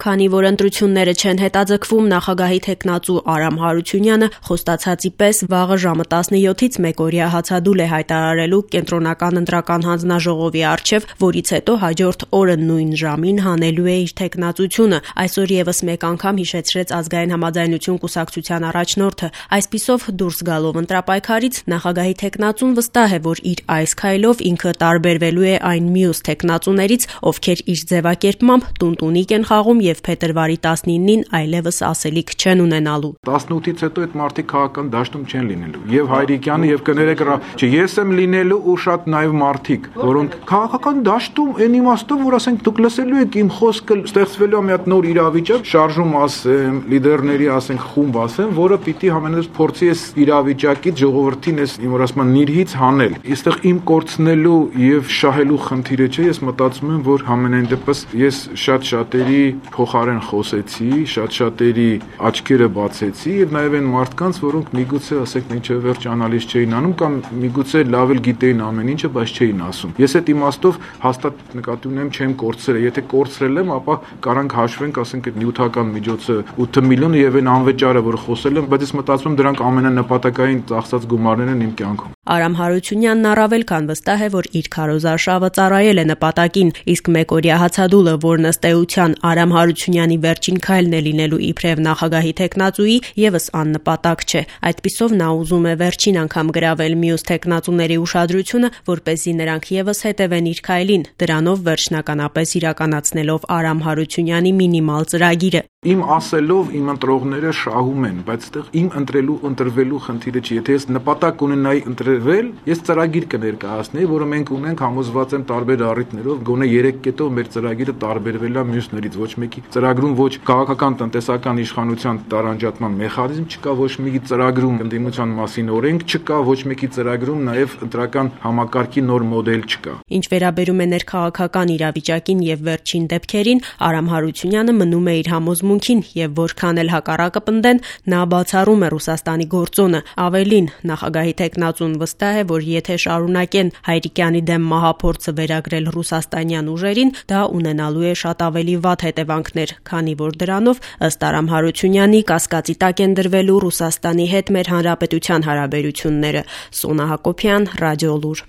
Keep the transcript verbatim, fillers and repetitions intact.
Քանի որ ընտրությունները չեն հետաձգվում, նախագահի թեկնածու Արամ Հարությունյանը խոստացածի պես վաղը ժամը տասնյոթից մեկօրյա հացադուլ է հայտարարելու Կենտրոնական ընտրական հանձնաժողովի առջև, որից հետո հաջորդ օրը նույն ժամին հանելու է իր թեկնածությունը, այսօր ևս մեկ անգամ հիշեցրեց Ազգային համաձայնություն կուսակցության առաջնորդը։ Այսպիսով դուրս գալով ընտրապայքարից նախագահի թեկնածուն վստահ է, որ իր այս քայլով ինքը տարբերվելու է այն մյուս թեկնածուներից, ովքեր իր ձևակերպմամբ տունտունիկ են խաղում եւ փետրվարի տասնինին այլևս ասելիք չեն ունենալու։ տասնութից հետո այդ մարդիկ քաղաքական դաշտում չեն լինելու։ Եվ Հայրիկյանը եւ կներեք, չէ, ես եմ լինելու ու շատ նաեւ մարդիկ, որոնք քաղաքական դաշտում այն իմաստով, որ ասենք դուք լսելու եք իմ խոսքը, ստեղծվելու է մի հատ նոր իրավիճակ, շարժում ասեմ, լիդերների ասենք խումբ ասեմ, որը պիտի համենայնպես փորձի այս իրավիճակից ժողովրդին այս իմ որ ասում են նիրհից հանել։ Այստեղ իմ կորցնելու եւ շահելու խնդիրը չէ, ես մտածում եմ, որ համենայն դեպս ես շատ շատերի փոխարեն խոսեցի, շատ-շատերի աչքերը բացեցի եւ նաեւ այն մարդկանց, որոնք միգուցե ասեք ինչը վերջ անալիզ չէին անում կամ միգուցե լավ էլ գիտեին ամեն ինչը, բայց չէին ասում։ Ես այդ իմաստով հաստատ նկատի ունեմ չեմ կորցրել, եթե կորցրել եմ, ապա կարանք հաշվենք, ասենք այդ նյութական միջոցը ութ միլիոն եւ այն անվճարը, որ խոսել եմ, բայց ես մտածում եմ դրանք ամենանպատակային ծախսած գումարներն են իմ կյանքում։ Արամ Հարությունյանն առավել քան վստահ է, որ իր քարոզարշավը ծառայել է նպատակին, իսկ մեկօրյա հացադուլը, որն ըստ էության Արամ Հարությունյանի վերջին քայլն է լինելու իբրև նախագահի թեկնածուի, եւս աննպատակ չէ։ Այդպիսով նա ուզում է վերջին անգամ գրավել մյուս թեկնածուների ուշադրությունը, որպեսզի նրանք եւս հետևեն իր քայլին, դրանով վերջնականապես իրականացնելով Արամ Հարությունյանի մինիմալ ծրագիրը։ Իմ ասելով իմ ընտրողները շահում են, բայց այդտեղ իմ ընտրելու ընտրվելու խնդիրը չի։ Եթե ես նպատակ ունենայի ընտրվել, ես ծրագիր կներկայացնեի, որը մենք ունենք, համոզված եմ տարբեր առիթներով, գոնե երեք կետով մեր ծրագիրը տարբերվել է մյուսներից։ Ոչ մեկի ծրագրում ոչ քաղաքական տնտեսական իշխանության տարանջատման մեխանիզմ չկա, ոչ մեկի ծրագրում ընդդիմության մասին օրենք չկա, ոչ մեկի ծրագրում նաև ընտրական համակարգի նոր մոդել չկա։ Ինչ վերաբերում է ներքաղաքական իրավիճակին եւ վերջին դեպքերին, Արամ Հարությունյանը մնում է իր համոզմունքին եւ որքան էլ հակառակը պնդեն, նա բացառում է Ռուսաստանի գործոնը։ Ավելին, նախագահի թեկնածուն վստահ է, որ եթե շարունակեն Հայրիկյանի դեմ մահափորձը վերագրել ռուսաստանյան ուժերին, դա ունենալու է շատ ավելի վատ հետևանքներ, քանի որ դրանով ըստ Արամ Հարությունյանի կասկածի տակ են դրվելու Ռուսաստանի հետ մեր հանրապետության հարաբերությունները։ Սոնա Հակոբյան, Ռադիոլուր։